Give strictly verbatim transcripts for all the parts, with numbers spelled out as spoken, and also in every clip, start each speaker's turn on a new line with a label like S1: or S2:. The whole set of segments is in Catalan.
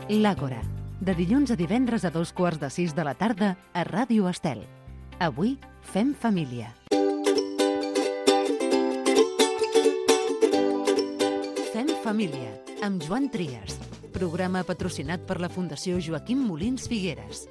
S1: L'Àgora, de dilluns a divendres a dos quarts de sis de la tarda a Ràdio Estel. Avui fem família. Fem família, amb Joan Trias. Programa patrocinat per la Fundació Joaquim Molins Figueres.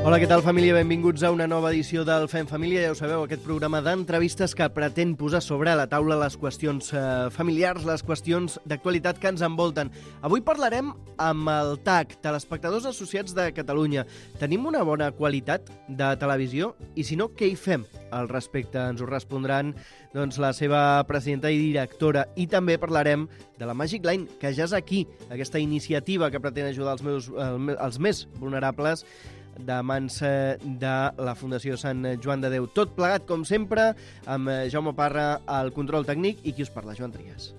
S2: Hola, què tal, família? Benvinguts a una nova edició del Fem Família. Ja ho sabeu, aquest programa d'entrevistes que pretén posar sobre la taula les qüestions eh, familiars, les qüestions d'actualitat que ens envolten. Avui parlarem amb el T A C, Telespectadors Associats de Catalunya. Tenim una bona qualitat de televisió? I si no, què hi fem al respecte? Ens ho respondran doncs, la seva presidenta i directora. I també parlarem de la Magic Line, que ja és aquí, aquesta iniciativa que pretén ajudar els, meus, els més vulnerables de mans de la Fundació Sant Joan de Déu. Tot plegat, com sempre, amb Jaume Parra al control tècnic i qui us parla, Joan Trias.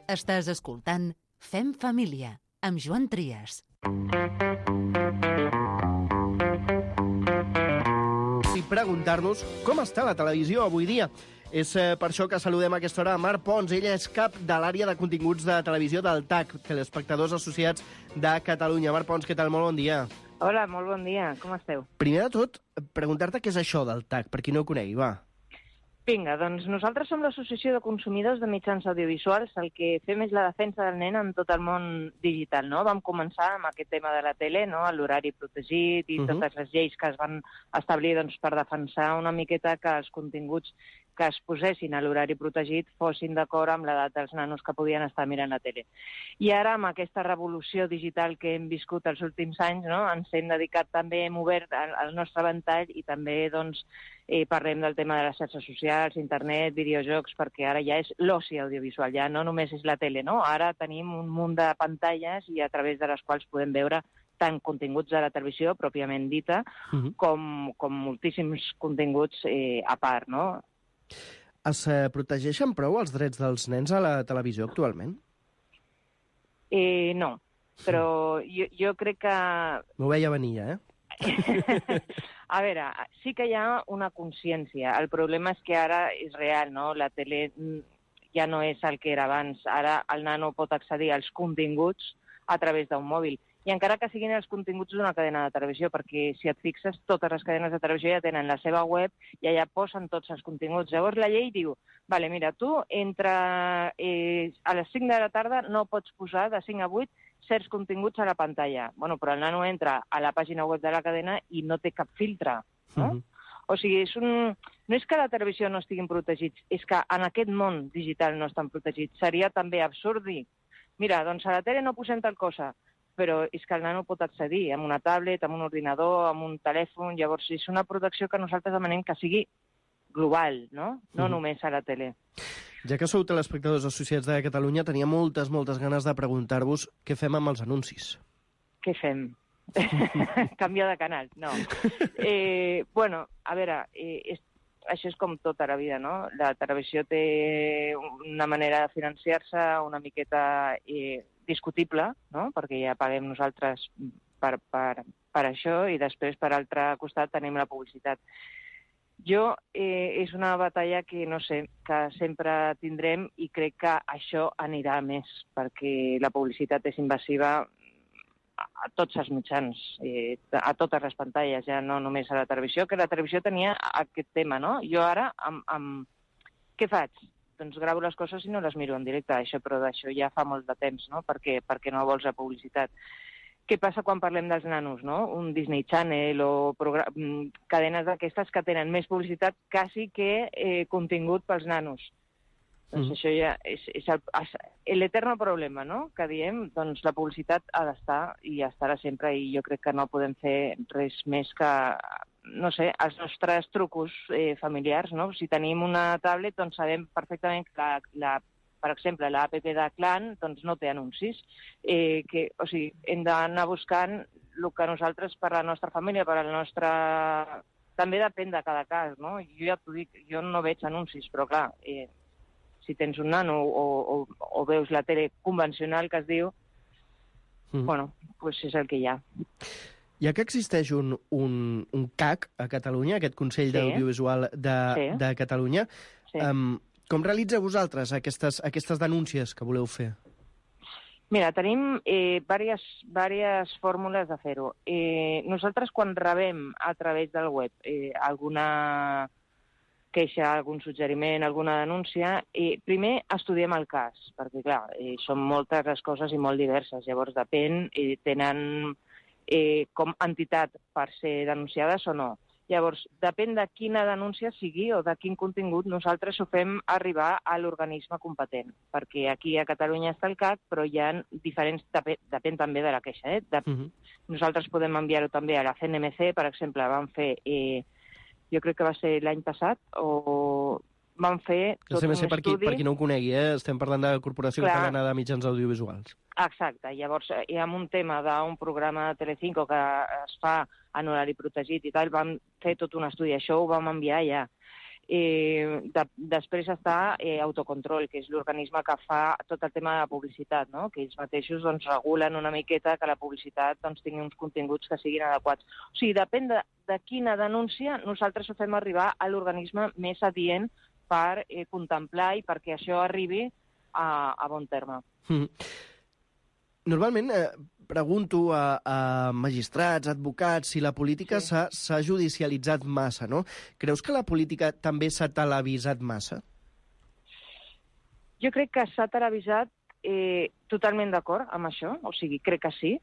S1: Estàs escoltant Fem Família, amb Joan Trias.
S2: I preguntar-nos com està la televisió avui dia. És per això que saludem a aquesta hora a Mar Pons. Ella és cap de l'àrea de continguts de televisió del T A C, Telespectadors Associats de Catalunya. Mar Pons, què tal? Molt bon dia.
S3: Hola, molt bon dia. Com esteu?
S2: Primer de tot, preguntar-te què és això del T A C, per qui no ho conegui, va.
S3: Vinga, doncs nosaltres som l'Associació de Consumidors de Mitjans Audiovisuals. El que fem és la defensa del nen en tot el món digital, no? Vam començar amb aquest tema de la tele, no? L'horari protegit i uh -huh. totes les lleis que es van establir doncs, per defensar una miqueta que els continguts que es posessin a l'horari protegit fossin d'acord amb l'edat dels nanos que podien estar mirant la tele. I ara, amb aquesta revolució digital que hem viscut els últims anys, no? Ens hem dedicat també, hem obert el, el nostre ventall i també doncs, eh, parlem del tema de les xarxes socials, internet, videojocs, perquè ara ja és l'oci audiovisual, ja no només és la tele, no? Ara tenim un munt de pantalles i a través de les quals podem veure tant continguts de la televisió, pròpiament dita, uh-huh. com, com moltíssims continguts eh, a part, no?
S2: Es eh, protegeixen prou els drets dels nens a la televisió actualment?
S3: Eh, no, però jo, jo crec que...
S2: M'ho veia venir, eh?
S3: A veure, sí que hi ha una consciència. El problema és que ara és real, no? La tele ja no és el que era abans. Ara el nano pot accedir als continguts a través d'un mòbil. I encara que siguin els continguts d'una cadena de televisió, perquè si et fixes, totes les cadenes de televisió ja tenen la seva web i allà posen tots els continguts. Llavors la llei diu, vale, mira, tu entre eh, a les cinc de la tarda no pots posar de cinc a vuit certs continguts a la pantalla. Bueno, però el nano entra a la pàgina web de la cadena i no té cap filtre, no? Uh-huh. O sigui, és un... no és que la televisió no estiguin protegits, és que en aquest món digital no estan protegits. Seria també absurd dir, mira, doncs a la tele no posem tal cosa, però és que el nano pot accedir amb una tablet, amb un ordinador, amb un telèfon. Llavors, és una protecció que nosaltres demanem que sigui global, no? No mm. només a la tele.
S2: Ja que sou telespectadors associats de Catalunya, tenia moltes, moltes ganes de preguntar-vos què fem amb els anuncis.
S3: Què fem? Canviar de canal, no. Eh, bueno, a veure, eh, és, això és com tota la vida, no? La televisió té una manera de financiar-se una miqueta... Eh, discutible, no? Perquè ja paguem nosaltres per, per, per això i després, per altre costat, tenim la publicitat. Jo, eh, és una batalla que, no sé, que sempre tindrem i crec que això anirà més, perquè la publicitat és invasiva a, a tots els mitjans, eh, a totes les pantalles, ja no només a la televisió, que la televisió tenia aquest tema, no? Jo ara, amb, amb... què faig? Doncs gravo les coses i no les miro en directe, això, però d'això ja fa molt de temps, no? Perquè, perquè no vols la publicitat. Què passa quan parlem dels nanos, no? Un Disney Channel o cadenes d'aquestes que tenen més publicitat quasi que eh, contingut pels nanos. Mm. Doncs això ja és, és l'eterno problema, no? Que diem, doncs la publicitat ha d'estar i estarà sempre, i jo crec que no podem fer res més que... no sé, els nostres trucos eh, familiars, no? Si tenim una tablet, doncs sabem perfectament que, la, la, per exemple, l'app de Clan doncs no té anuncis. Eh, que, o sigui, hem d'anar buscant el que nosaltres, per la nostra família, per la nostra... També depèn de cada cas, no? Jo ja t'ho dic, jo no veig anuncis, però clar, eh, si tens un nano o, o, o veus la tele convencional, que es diu, mm. bueno, doncs és el que hi ha.
S2: Ja que existeix un, un, un C A C a Catalunya, aquest Consell sí. d'Audiovisual de, sí. de Catalunya, sí. um, com realitzeu vosaltres aquestes, aquestes denúncies que voleu fer?
S3: Mira, tenim eh, diverses, diverses fórmules de fer-ho. Eh, nosaltres, quan rebem a través del web eh, alguna queixa, algun suggeriment, alguna denúncia, eh, primer estudiem el cas, perquè, clar, eh, són moltes les coses i molt diverses. Llavors, depèn, eh, tenen eh, com entitat per ser denunciades o no. Llavors, depèn de quina denúncia sigui o de quin contingut, nosaltres ho fem arribar a l'organisme competent, perquè aquí a Catalunya està el C A C, però hi ha diferents, depèn, depèn també de la queixa. Eh? De, uh-huh. Nosaltres podem enviar-ho també a la C N M C, per exemple, vam fer... Eh, jo crec que va ser l'any passat, o van fer tot un
S2: estudi... Per qui, per qui no ho conegui, eh? Estem parlant de la Corporació
S3: Clar.
S2: Catalana de Mitjans Audiovisuals.
S3: Exacte. Llavors, hi ha un tema d'un programa de Telecinco que es fa en horari protegit i tal, vam fer tot un estudi. Això ho vam enviar ja. Eh, de, després està eh, Autocontrol, que és l'organisme que fa tot el tema de la publicitat, no? Que ells mateixos doncs, regulen una miqueta que la publicitat doncs, tingui uns continguts que siguin adequats. O sigui, depèn de, de quina denúncia, nosaltres ho fem arribar a l'organisme més adient per eh, contemplar i perquè això arribi a, a bon terme.
S2: Mm. Normalment eh, pregunto a, a magistrats, advocats, si la política
S3: Sí.
S2: s'ha s'ha judicialitzat massa, no? Creus que la política també s'ha televisat massa?
S3: Jo crec que s'ha televisat eh, totalment d'acord amb això, o sigui, crec que sí.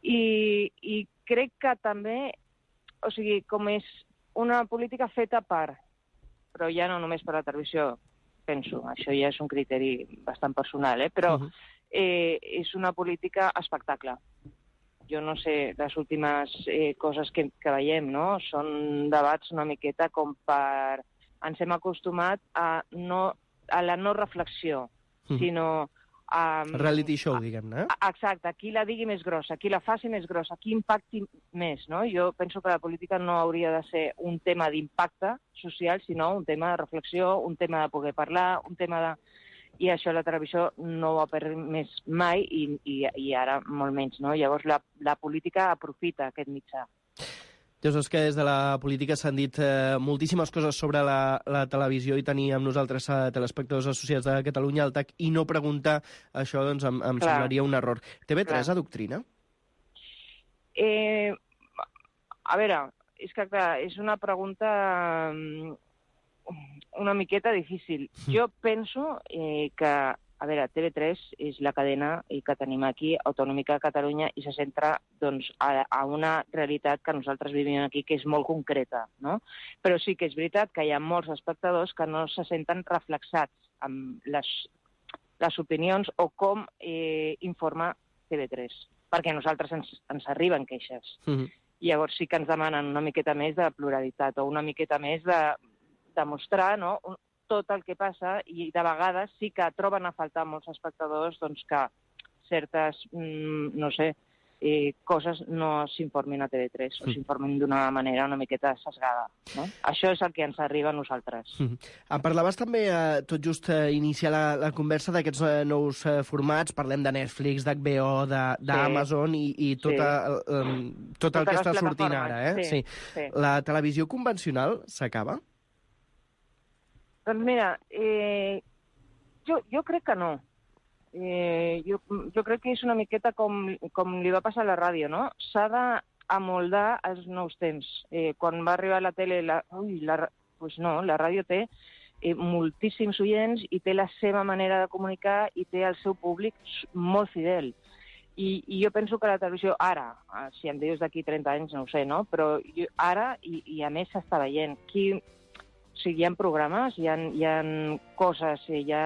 S3: I, I crec que també, o sigui, com és una política feta per, però ja no només per la televisió, penso, això ja és un criteri bastant personal, eh? Però... Uh-huh. Eh, és una política espectacle. Jo no sé, les últimes eh, coses que, que veiem, no? Són debats una miqueta com per... Ens hem acostumat a, no, a la no reflexió, mm. sinó a...
S2: Reality show, diguem-ne.
S3: A, exacte, qui la digui més grossa, qui la faci més grossa, qui impacti més, no? Jo penso que la política no hauria de ser un tema d'impacte social, sinó un tema de reflexió, un tema de poder parlar, un tema de... I això la televisió no ho ha permès mai i, i, i ara molt menys, no? Llavors la, la política aprofita aquest mitjà.
S2: Ja saps que des de la política s'han dit eh, moltíssimes coses sobre la, la televisió i tenir amb nosaltres a telespectadors associats de Catalunya al T A C i no preguntar això doncs em, em semblaria un error. T V tres adoctrina?
S3: Eh, a veure, és que clar, és una pregunta... una miqueta difícil. Jo penso eh, que, a veure, T V tres és la cadena que tenim aquí, autonòmica de Catalunya, i se centra doncs, a, a una realitat que nosaltres vivim aquí, que és molt concreta, no? Però sí que és veritat que hi ha molts espectadors que no se senten reflexats amb les, les opinions o com eh, informa T V tres, perquè a nosaltres ens, ens arriben queixes. Mm-hmm. Llavors sí que ens demanen una miqueta més de pluralitat o una miqueta més de demostrar, no, tot el que passa, i de vegades sí que troben a faltar molts espectadors doncs, que certes, mm, no sé, eh, coses no s'informin a T V tres o s'informin d'una manera una miqueta sesgada. No? Això és el que ens arriba a nosaltres.
S2: Mm. Em parlaves també, eh, tot just eh, iniciar la, la conversa d'aquests eh, nous eh, formats, parlem de Netflix, d'H B O, d'Amazon sí. i, i tot, sí. el, um, tot el que està sortint ara. Eh? Sí. Sí. Sí. La televisió convencional s'acaba?
S3: Doncs mira, eh, jo, jo crec que no. Eh, jo, jo crec que és una miqueta com, com li va passar a la ràdio, no? S'ha d'amoldar als nous temps. Eh, quan va arribar la tele, la, ui, la, pues no, la ràdio té eh, moltíssims oients i té la seva manera de comunicar i té el seu públic molt fidel. I, i jo penso que la televisió ara, si em dius d'aquí trenta anys, no ho sé, no? Però jo, ara, i, i a més s'està veient, qui... O sigui, hi ha programes, hi ha, hi ha coses, hi ha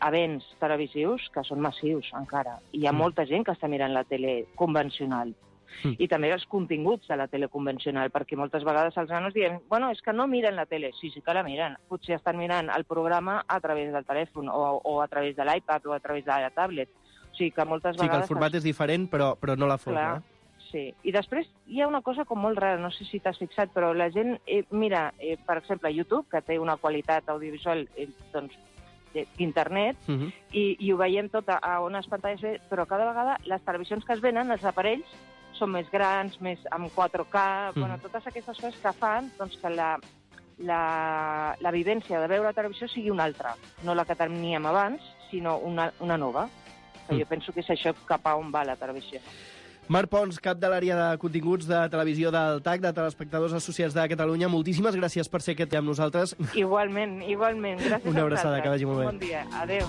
S3: events televisius que són massius encara. I hi ha molta gent que està mirant la tele convencional. Mm. I també els continguts de la tele convencional, perquè moltes vegades els nanos diuen bueno, és que no miren la tele. Sí, sí que la miren. Potser estan mirant el programa a través del telèfon o, o a través de l'iPad o a través de la tablet. O sigui que moltes vegades...
S2: Sí, que el format és diferent, però, però no la forma.
S3: Clar. Sí. I després hi ha una cosa com molt rara, no sé si t'has fixat, però la gent eh, mira, eh, per exemple, YouTube, que té una qualitat audiovisual eh, doncs, d'internet, uh-huh. i, i ho veiem tot a, a unes pantalles, però cada vegada les televisions que es venen, els aparells, són més grans, més amb quatre K, uh-huh. bueno, totes aquestes coses que fan doncs, que la, la, la vivència de veure la televisió sigui una altra, no la que teníem abans, sinó una, una nova. Mm. Jo penso que és això cap a on va la televisió.
S2: Marc Pons, cap de l'àrea de continguts de televisió del T A C, de Telespectadors Associats de Catalunya, moltíssimes gràcies per ser aquest amb nosaltres.
S3: Igualment, igualment. Gràcies
S2: Una abraçada, que vagi molt bé.
S3: Bon dia. Adéu.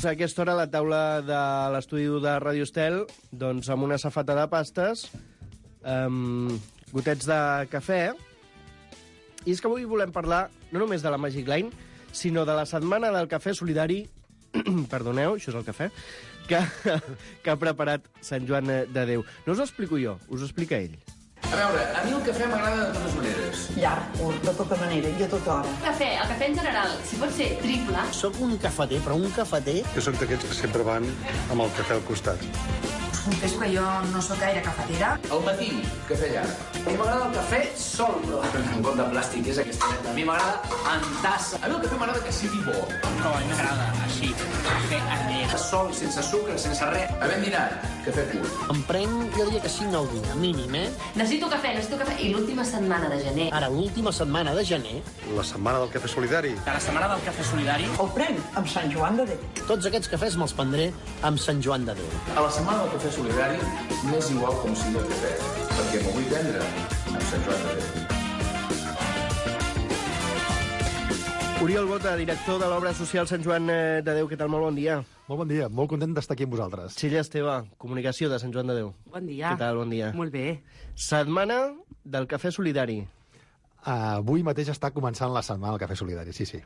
S2: A aquesta hora, a la taula de l'estudi de Ràdio Estel, doncs amb una safata de pastes, um, gotets de cafè, i és que avui volem parlar no només de la Magic Line, sinó de la setmana del cafè solidari, perdoneu, això és el cafè, que, que ha preparat Sant Joan de Déu. No us ho explico jo, us ho explica ell.
S4: A veure, a mi el cafè m'agrada de totes maneres.
S5: Llarg, curt, de tota manera i a tota hora.
S6: Cafè, el cafè en general, si pot ser triple.
S7: Soc un cafeter, però un cafeter...
S8: Jo soc d'aquests que sempre van amb el cafè al costat.
S5: Confesso que jo no sóc gaire cafetera.
S4: Al matí, cafè llarg. A mi m'agrada el cafè sol, però en got de plàstic és aquesta. A mi m'agrada en tassa. A mi el cafè m'agrada que sigui bo.
S7: No, a mi m'agrada així, cafè anet.
S4: Sol, sense sucre, sense res. Havent dinat, cafè pur.
S7: Em prenc, jo diria que cinc al dia, mínim, eh?
S6: Necessito cafè, necessito cafè. I l'última setmana de gener.
S7: Ara, l'última setmana de gener,
S8: La setmana del cafè solidari.
S7: de la setmana del cafè solidari,
S5: El prenc amb Sant Joan de Déu.
S7: tots aquests cafès me'ls prendré amb Sant Joan de Déu.
S4: A la setmana del cafè solidari m'és igual com sigui el cafè, perquè m'ho vull prendre amb Sant Joan de Déu.
S2: Oriol Bota, director de l'obra social Sant Joan de Déu, què tal? Molt bon dia.
S8: Molt bon dia, molt content d'estar aquí amb vosaltres.
S2: Txella Esteve, comunicació de Sant Joan de Déu.
S9: Bon dia.
S2: Què tal? Bon dia.
S9: Molt bé.
S2: Setmana del cafè solidari.
S8: Uh, avui mateix està començant la setmana del cafè solidari, sí, sí.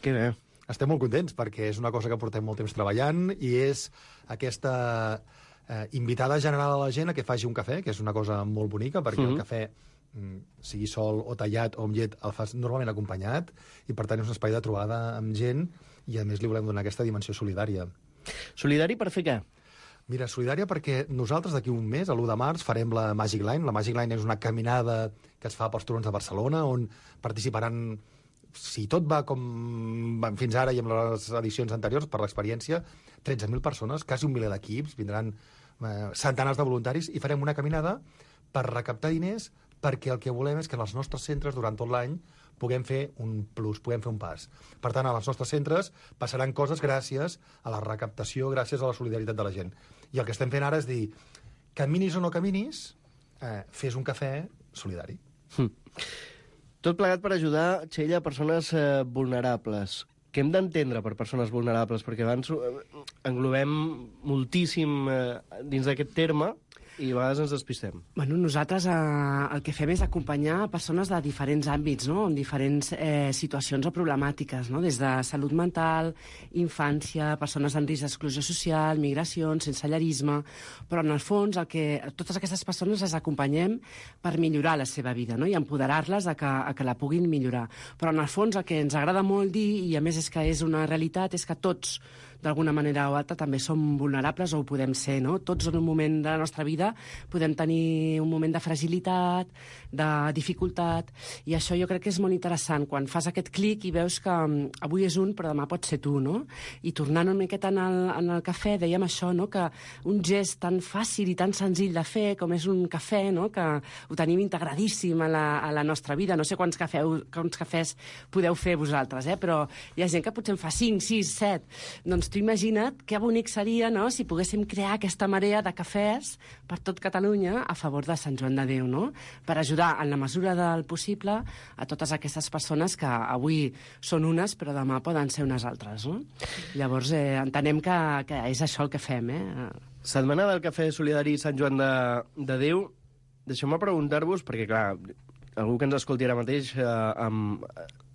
S2: Que bé.
S8: Estem molt contents perquè és una cosa que portem molt temps treballant i és aquesta eh, invitada general a la gent a que faci un cafè, que és una cosa molt bonica perquè mm -hmm. el cafè, mm, sigui sol o tallat o amb llet, el fas normalment acompanyat i per tant és un espai de trobada amb gent i a més li volem donar aquesta dimensió solidària.
S2: Solidari per fer què?
S8: Mira, solidària perquè nosaltres d'aquí un mes, a l'u de març, farem la Magic Line. La Magic Line és una caminada que es fa pels turons de Barcelona on participaran, si tot va com van fins ara i amb les edicions anteriors, per l'experiència, tretze mil persones, quasi un miler d'equips, vindran eh, centenars de voluntaris i farem una caminada per recaptar diners perquè el que volem és que en els nostres centres durant tot l'any puguem fer un plus, puguem fer un pas. Per tant, als nostres centres passaran coses gràcies a la recaptació, gràcies a la solidaritat de la gent. I el que estem fent ara és dir, caminis o no caminis, eh, fes un cafè solidari.
S2: Hm. Tot plegat per ajudar, Txella, a persones eh, vulnerables. Què hem d'entendre per persones vulnerables? Perquè abans eh, englobem moltíssim eh, dins d'aquest terme i a vegades ens despistem.
S9: Bueno, nosaltres eh, el que fem és acompanyar persones de diferents àmbits, no? En diferents eh, situacions o problemàtiques, no? Des de salut mental, infància, persones en risc d'exclusió social, migracions, sensellarisme, però en el fons el que totes aquestes persones les acompanyem per millorar la seva vida, no? I empoderar-les a, que, a que la puguin millorar. Però en el fons el que ens agrada molt dir, i a més és que és una realitat, és que tots d'alguna manera o altra també som vulnerables o ho podem ser, no? Tots en un moment de la nostra vida podem tenir un moment de fragilitat, de dificultat, i això jo crec que és molt interessant, quan fas aquest clic i veus que um, avui és un però demà pot ser tu, no? I tornant una miqueta en el, en el cafè, dèiem això, no? Que un gest tan fàcil i tan senzill de fer com és un cafè, no? Que ho tenim integradíssim a la, a la nostra vida. No sé quants, cafeu, quants cafès podeu fer vosaltres, eh? Però hi ha gent que potser en fa cinc, sis, set. Doncs tu imagina't que bonic seria, no?, si poguéssim crear aquesta marea de cafès per tot Catalunya a favor de Sant Joan de Déu, no?, per ajudar en la mesura del possible a totes aquestes persones que avui són unes però demà poden ser unes altres, no? Llavors eh, entenem que, que és això el que fem, eh?
S2: Setmana del cafè solidari Sant Joan de, de Déu. Deixeu-me preguntar-vos, perquè clar, algú que ens escolti ara mateix eh, em,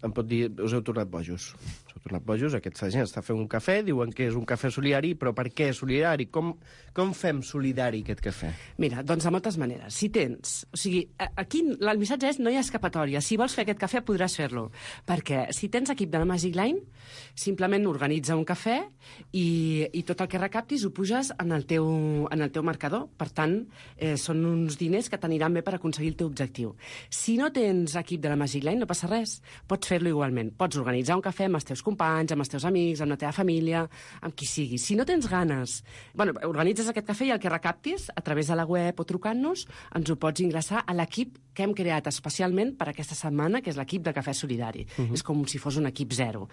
S2: em pot dir, us heu tornat bojos. Us heu tornat bojos, aquesta gent està fent un cafè, diuen que és un cafè solidari, però per què solidari? Com, com fem solidari aquest cafè?
S9: Mira, doncs de moltes maneres. Si tens... O sigui, aquí el missatge és no hi ha escapatòria. Si vols fer aquest cafè, podràs fer-lo. Perquè si tens equip de la Magic Line, simplement organitza un cafè i, i tot el que recaptis ho puges en el teu, en el teu marcador. Per tant, eh, són uns diners que t'aniran bé per aconseguir el teu objectiu. Si no tens equip de la Magic Line, no passa res. Pots fer-lo igualment. Pots organitzar un cafè amb els teus companys, amb els teus amics, amb la teva família, amb qui sigui. Si no tens ganes, bueno, organitzes aquest cafè i el que recaptis, a través de la web o trucant-nos, ens ho pots ingressar a l'equip que hem creat especialment per aquesta setmana, que és l'equip de Cafè Solidari. Uh-huh. És com si fos un equip zero.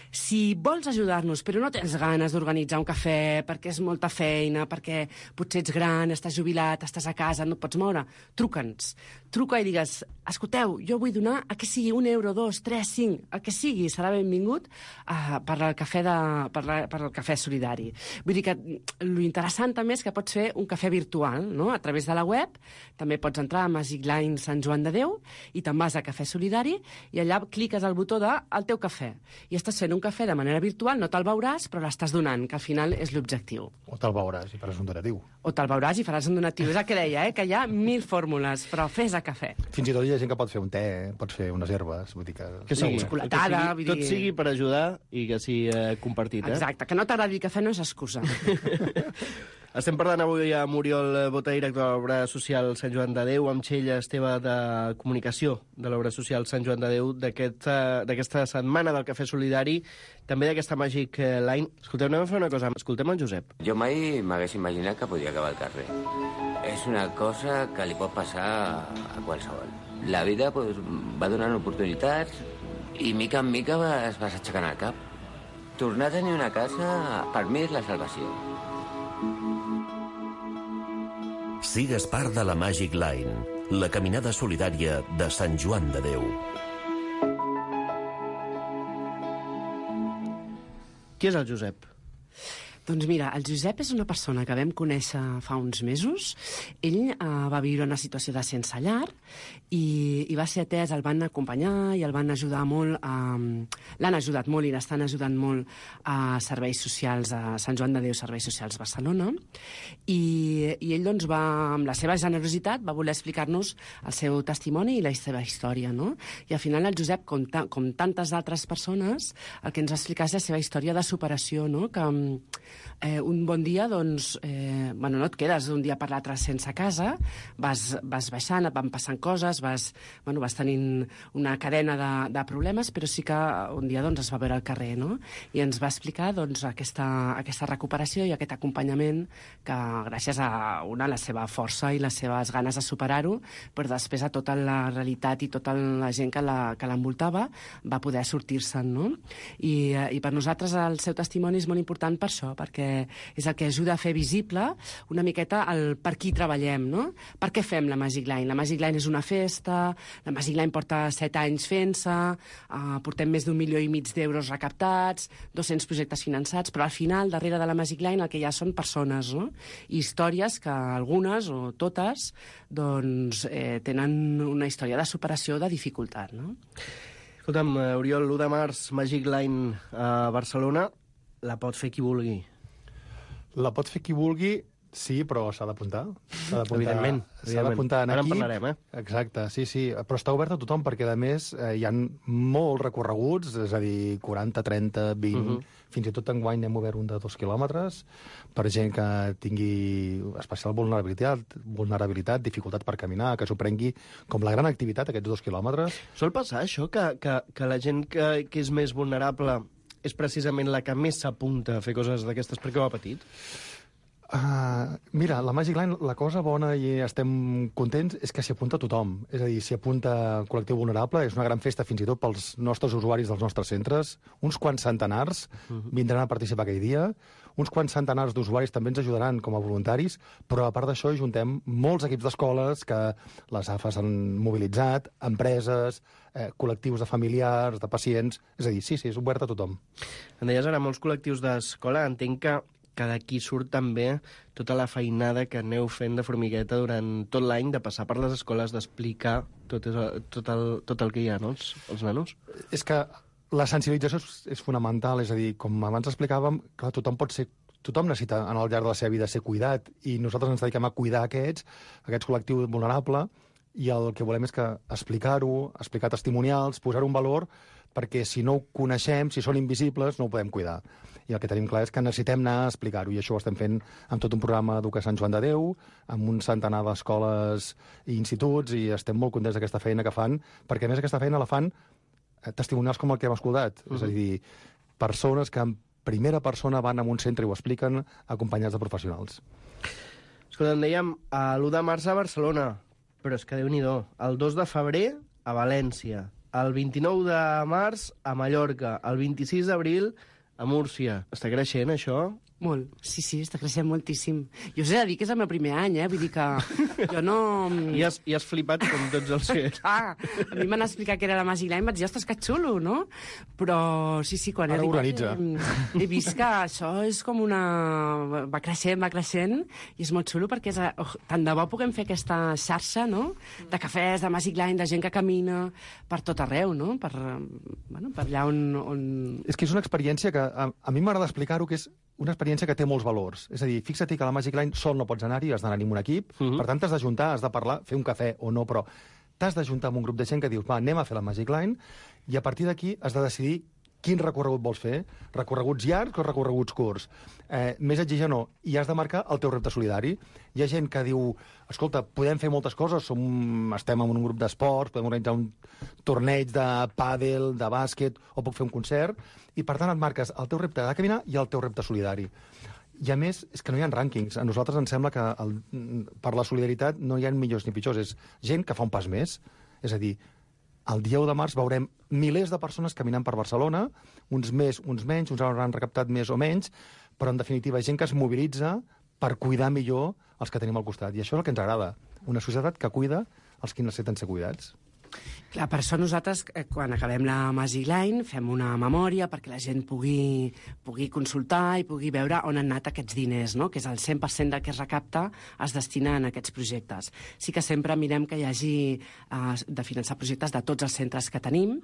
S9: Si vols ajudar-nos, però no tens ganes d'organitzar un cafè, perquè és molta feina, perquè potser ets gran, estàs jubilat, estàs a casa, no et pots moure, truca'ns. Truca i digues, escolteu, jo vull donar a que sigui un euro, dos, tres, cinc, el que sigui, serà benvingut uh, per, el cafè de, per, la, per el Cafè Solidari. Vull dir que l'interessant també és que pots fer un cafè virtual, no? A través de la web, també pots entrar a Magic Line Sant Joan de Déu i te'n vas a Cafè Solidari i allà cliques al botó de el teu cafè. I estàs fent un cafè de manera virtual, no te'l veuràs, però l'estàs donant, que al final és l'objectiu.
S8: O te'l veuràs i faràs un donatiu.
S9: O te'l veuràs i faràs un donatiu. És el que deia, eh? Que hi ha mil fórmules, però fes a cafè.
S8: Fins i tot hi ha gent que pot fer un te, pots fer unes herbes, vull dir que...
S2: Que sigui,
S9: xocolatada,
S2: que sigui, tot sigui per ajudar i que sigui eh, compartit, eh?
S9: Exacte, que no t'agradi el cafè no és excusa.
S2: Estem parlant avui amb Oriol Bota, director de l'obra social Sant Joan de Déu, amb Txell Esteve de Comunicació de l'obra social Sant Joan de Déu, d'aquesta aquest, setmana del Cafè Solidari, també d'aquesta Magic Line. Escolteu, anem a fer una cosa. Escoltem el Josep.
S10: Jo mai m'hagués imaginat que podia acabar al carrer. És una cosa que li pot passar a qualsevol. La vida pues, va donant oportunitats i mica en mica es vas aixecant el cap. Tornar a tenir una casa, per mi, és la salvació.
S11: Sigues part de la Magic Line, la caminada solidària de Sant Joan de Déu.
S2: Qui és el Josep?
S9: Doncs mira, el Josep és una persona que vam conèixer fa uns mesos. Ell eh, va viure una situació de sense llar i, i va ser atès, el van acompanyar i el van ajudar molt, eh, l'han ajudat molt i l'estan ajudant molt a serveis socials, a Sant Joan de Déu, Serveis Socials Barcelona, i, i ell doncs va, amb la seva generositat, va voler explicar-nos el seu testimoni i la seva història, no? I al final el Josep, com, ta, com tantes altres persones, el que ens va explicar és la seva història de superació, no? Que Eh, un bon dia, doncs, eh, bueno, no et quedes d'un dia per l'altre sense casa, vas, vas baixant, et van passant coses, vas, bueno, vas tenint una cadena de, de problemes, però sí que un dia doncs, es va veure al carrer, no? I ens va explicar doncs, aquesta, aquesta recuperació i aquest acompanyament que, gràcies a una, la seva força i les seves ganes de superar-ho, però després a tota la realitat i tota la gent que l'envoltava va poder sortir-se'n, no? I, I per nosaltres el seu testimoni és molt important per això, perquè és el que ajuda a fer visible una miqueta el per qui treballem, no? Per què fem la Magic Line? La Magic Line és una festa, la Magic Line porta set anys fent-se, uh, portem més d'un milió i mig d'euros recaptats, dos-cents projectes finançats, però al final, darrere de la Magic Line, el que hi ha són persones, no? I històries que algunes, o totes, doncs, eh, tenen una història de superació, de dificultat, no?
S2: Escolta'm, Oriol, l'u de març, Magic Line a Barcelona, la pot fer qui vulgui.
S8: La pot fer qui vulgui, sí, però s'ha d'apuntar.
S2: Evidentment.
S8: S'ha d'apuntar en
S2: Ara
S8: equip.
S2: en parlarem, eh?
S8: Exacte, sí, sí. Però està obert a tothom, perquè, a més, eh, hi ha molts recorreguts, és a dir, quaranta, trenta, vint... Uh -huh. Fins i tot enguany hem obert un de dos quilòmetres per gent que tingui especial vulnerabilitat, vulnerabilitat, dificultat per caminar, que s'ho prengui com la gran activitat, aquests dos quilòmetres.
S2: Sol passar això, que, que, que la gent que, que és més vulnerable és precisament la que més s'apunta a fer coses d'aquestes perquè ho ha patit?
S8: Uh, mira, la Magic Line, la cosa bona i estem contents és que s'hi apunta tothom. És a dir, s'hi apunta el col·lectiu vulnerable, és una gran festa fins i tot pels nostres usuaris dels nostres centres. Uns quants centenars vindran a participar aquell dia. Uns quants centenars d'usuaris també ens ajudaran com a voluntaris, però a part d'això juntem molts equips d'escoles que les A F A s'han mobilitzat, empreses, eh, col·lectius de familiars, de pacients... És a dir, sí, sí, és obert a tothom.
S2: Em deies ara molts col·lectius d'escola, entenc que que d'aquí surt també tota la feinada que aneu fent de formigueta durant tot l'any, de passar per les escoles, d'explicar tot, tot, el, tot el que hi ha, no?, els, els nanos.
S8: És que la sensibilització és, és fonamental, és a dir, com abans explicàvem, clar, tothom pot ser tothom necessita, en el llarg de la seva vida, ser cuidat, i nosaltres ens dediquem a cuidar aquests, aquests col·lectius vulnerables, i el que volem és que explicar-ho, explicar testimonials, posar-ho en valor, perquè si no ho coneixem, si són invisibles, no ho podem cuidar. I el que tenim clar és que necessitem anar a explicar-ho, i això ho estem fent amb tot un programa Educa Sant Joan de Déu, amb un centenar d'escoles i instituts, i estem molt contents d'aquesta feina que fan, perquè a més aquesta feina la fan testimonials com el que hem escoltat. Uh-huh. És a dir, persones que en primera persona van a un centre i ho expliquen acompanyats de professionals.
S2: Escolta, em dèiem, l'u de març a Barcelona, però és que Déu-n'hi-do, el dos de febrer a València, el vint-i-nou de març a Mallorca, el vint-i-sis d'abril a Múrcia. Està creixent, això?
S9: Molt, sí, sí, està creixent moltíssim. Jo us he de dir que és el meu primer any, eh? Vull dir que jo no...
S2: I has, i has flipat com tots els que...
S9: Ah, a mi m'han explicat que era la Magic Line, vaig dir, ostres, que xulo, no? Però sí, sí, quan he
S8: Ara
S9: arribat...
S8: organitza.
S9: He, he vist que això és com una... Va creixent, va creixent, i és molt xulo perquè és... Oh, tant de bo puguem fer aquesta xarxa, no?, de cafès, de Magic Line, de gent que camina per tot arreu, no?, per, bueno, per allà on, on...
S8: És que és una experiència que a, a mi m'agrada explicar-ho, que és una experiència que té molts valors. És a dir, fixa't que a la Magic Line sol no pots anar-hi, has d'anar-hi amb un equip, uh-huh. per tant t'has d'ajuntar, has de parlar, fer un cafè o no, però t'has d'ajuntar amb un grup de gent que dius, va, anem a fer la Magic Line, i a partir d'aquí has de decidir quin recorregut vols fer, recorreguts llargs o recorreguts curts, eh, més exigent o no, i has de marcar el teu repte solidari. Hi ha gent que diu, escolta, podem fer moltes coses, som, estem en un grup d'esports, podem organitzar un torneig de pàdel, de bàsquet, o puc fer un concert, i per tant et marques el teu repte de caminar i el teu repte solidari. I a més, és que no hi ha rànquings. A nosaltres ens sembla que el, per la solidaritat no hi ha millors ni pitjors, és gent que fa un pas més. És a dir, el dia u de març veurem milers de persones caminant per Barcelona, uns més, uns menys, uns hauran recaptat més o menys, però en definitiva gent que es mobilitza per cuidar millor els que tenim al costat. I això és el que ens agrada, una societat que cuida els que necessiten ser cuidats.
S9: Clar, per això nosaltres, quan acabem la Magic Line, fem una memòria perquè la gent pugui, pugui consultar i pugui veure on han anat aquests diners, no?, que és el cent per cent del que es recapta es destina en aquests projectes. Sí que sempre mirem que hi hagi eh, de finançar projectes de tots els centres que tenim.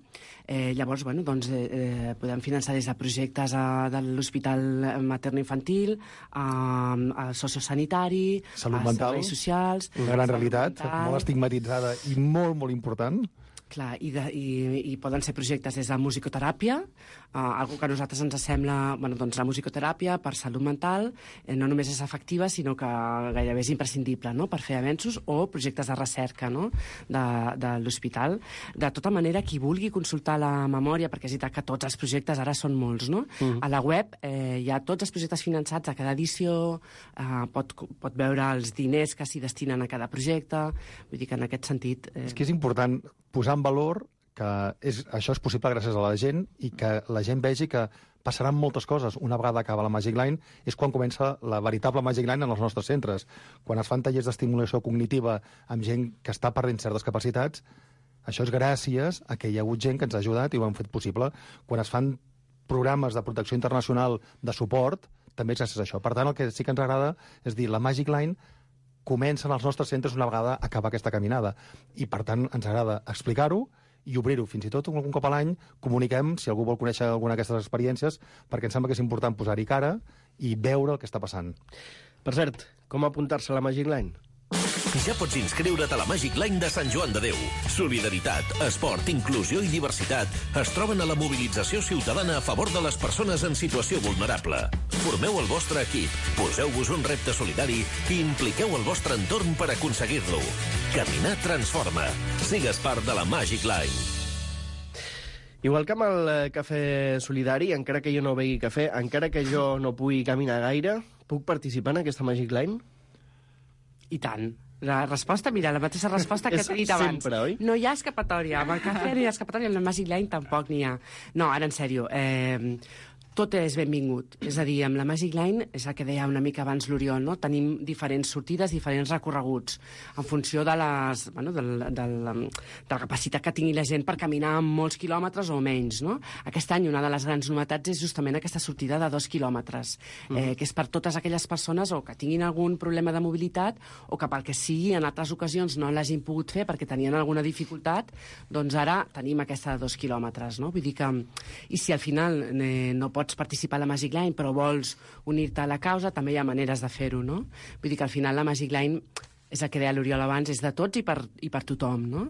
S9: Eh, llavors, bueno, doncs, eh, podem finançar des de projectes a, de l'Hospital Materno-Infantil, a, a sociosanitari,
S8: salut
S9: a
S8: mental,
S9: serveis socials...
S8: Una gran realitat, mental, molt estigmatitzada i molt, molt important.
S9: Clar, i, de, i, i poden ser projectes des de musicoteràpia, uh, algo que a nosaltres ens sembla... Bueno, doncs la musicoteràpia per salut mental eh, no només és efectiva, sinó que gairebé és imprescindible, no?, per fer avenços, o projectes de recerca, no?, de, de l'hospital. De tota manera, qui vulgui consultar la memòria, perquè és veritat que tots els projectes ara són molts, no?, mm. a la web eh, hi ha tots els projectes finançats a cada edició, eh, pot, pot veure els diners que s'hi destinen a cada projecte, vull dir que en aquest sentit... Eh...
S8: És que és important posar en valor que és, això és possible gràcies a la gent i que la gent vegi que passaran moltes coses. Una vegada acaba la Magic Line és quan comença la veritable Magic Line en els nostres centres. Quan es fan tallers d'estimulació cognitiva amb gent que està perdent certes capacitats, això és gràcies a que hi ha hagut gent que ens ha ajudat i ho han fet possible. Quan es fan programes de protecció internacional de suport, també és gràcies a això. Per tant, el que sí que ens agrada és dir, la Magic Line comencen als nostres centres una vegada acaba aquesta caminada. I, per tant, ens agrada explicar-ho i obrir-ho. Fins i tot, algun cop a l'any, comuniquem, si algú vol conèixer alguna d'aquestes experiències, perquè em sembla que és important posar-hi cara i veure el que està passant.
S2: Per cert, com apuntar-se a la Magic Line?
S11: Ja pots inscriure't a la Magic Line de Sant Joan de Déu. Solidaritat, esport, inclusió i diversitat es troben a la mobilització ciutadana a favor de les persones en situació vulnerable. Formeu el vostre equip, poseu-vos un repte solidari i impliqueu el vostre entorn per aconseguir-lo. Caminar transforma. Sigues part de la Magic Line.
S2: Igual que amb el cafè solidari, encara que jo no begui cafè, encara que jo no pugui caminar gaire, puc participar en aquesta Magic Line?
S9: I tant. La resposta, mira, la mateixa resposta que t'he dit abans.
S2: Sempre, oi?
S9: No hi ha escapatòria. Amb el cafè no hi ha escapatòria, amb la Magic Line tampoc n'hi ha. No, ara, en sèrio, eh, tot és benvingut. És a dir, amb la Magic Line, és el que deia una mica abans l'Oriol, no? Tenim diferents sortides, diferents recorreguts, en funció de, les, bueno, del, del, de la capacitat que tingui la gent per caminar molts quilòmetres o menys, no? Aquest any una de les grans novetats és justament aquesta sortida de dos quilòmetres, mm. eh, que és per totes aquelles persones o que tinguin algun problema de mobilitat o que pel que sigui en altres ocasions no l'hagin pogut fer perquè tenien alguna dificultat, doncs ara tenim aquesta de dos quilòmetres, no? Vull dir que, i si al final eh, no pots participar a la Magic Line però vols unir-te a la causa, també hi ha maneres de fer-ho, no? Vull dir que al final la Magic Line, és el que deia l'Oriol abans, és de tots i per, i per tothom, no?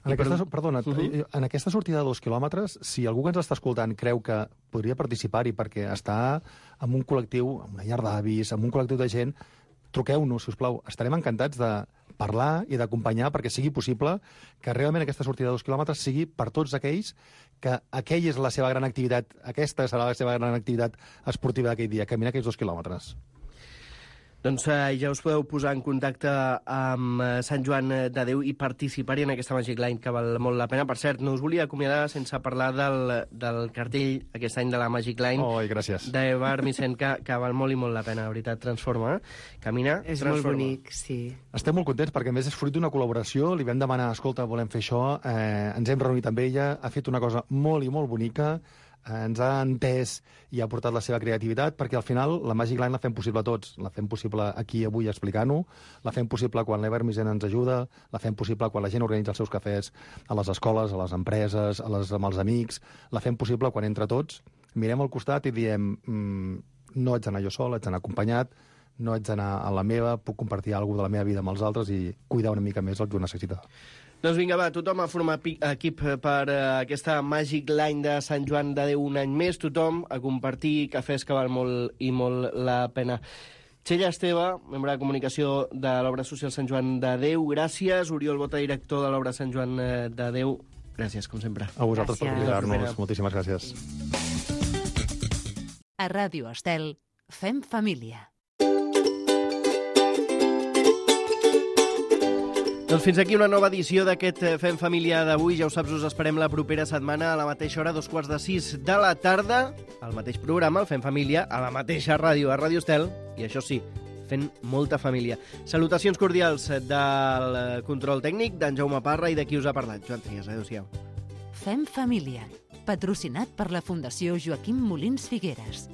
S8: En aquesta, perdona, uh -huh. en aquesta sortida de dos quilòmetres, si algú que ens està escoltant creu que podria participar-hi perquè està en un col·lectiu, en una llar d'avis, en un col·lectiu de gent, truqueu-nos, si us plau. Estarem encantats de parlar i d'acompanyar perquè sigui possible que realment aquesta sortida de dos quilòmetres sigui per tots aquells que aquella és la seva gran activitat, aquesta serà la seva gran activitat esportiva d'aquell dia, caminar aquells dos quilòmetres.
S2: Doncs eh, ja us podeu posar en contacte amb eh, Sant Joan de Déu i participar-hi en aquesta Magic Line, que val molt la pena. Per cert, no us volia acomiadar sense parlar del, del cartell aquest any de la Magic Line.
S8: Oh, gràcies.
S2: D'Eva Armisen, que, que val molt i molt la pena, la veritat, transforma. Camina,
S9: És
S2: transforma.
S9: molt bonic, sí.
S8: Estem molt contents perquè, a més, és fruit d'una col·laboració. Li vam demanar, escolta, volem fer això, eh, ens hem reunit amb ella, ha fet una cosa molt i molt bonica, ens ha entès i ha portat la seva creativitat, perquè al final la Magic Line la fem possible a tots. La fem possible aquí avui explicant-ho, la fem possible quan l'Eva Armisen ens ajuda, la fem possible quan la gent organitza els seus cafès a les escoles, a les empreses, a les, amb els amics, la fem possible quan entre tots mirem al costat i diem mmm, no haig d'anar jo sol, haig d'anar acompanyat, no haig d'anar a la meva, puc compartir alguna cosa de la meva vida amb els altres i cuidar una mica més el que ho necessita.
S2: Doncs vinga, va, tothom a formar equip per uh, aquesta Magic Line de Sant Joan de Déu un any més, tothom a compartir cafès que val molt i molt la pena. Txella Esteve, membre de comunicació de l'obra social Sant Joan de Déu, gràcies. Oriol Bota, director de l'obra Sant Joan de Déu, gràcies, com sempre.
S8: A vosaltres gràcies. Per convidar-nos, moltíssimes gràcies.
S1: A Ràdio Estel, fem família.
S2: Doncs fins aquí una nova edició d'aquest Fem Família d'avui. Ja ho saps, us esperem la propera setmana a la mateixa hora, dos quarts de sis de la tarda, al mateix programa, el Fem Família, a la mateixa ràdio, a Ràdio Estel, i això sí, fent molta família. Salutacions cordials del control tècnic, d'en Jaume Parra i de qui us ha parlat, Joan Trias. Adéu-siau.
S1: Fem Família, patrocinat per la Fundació Joaquim Molins Figueres.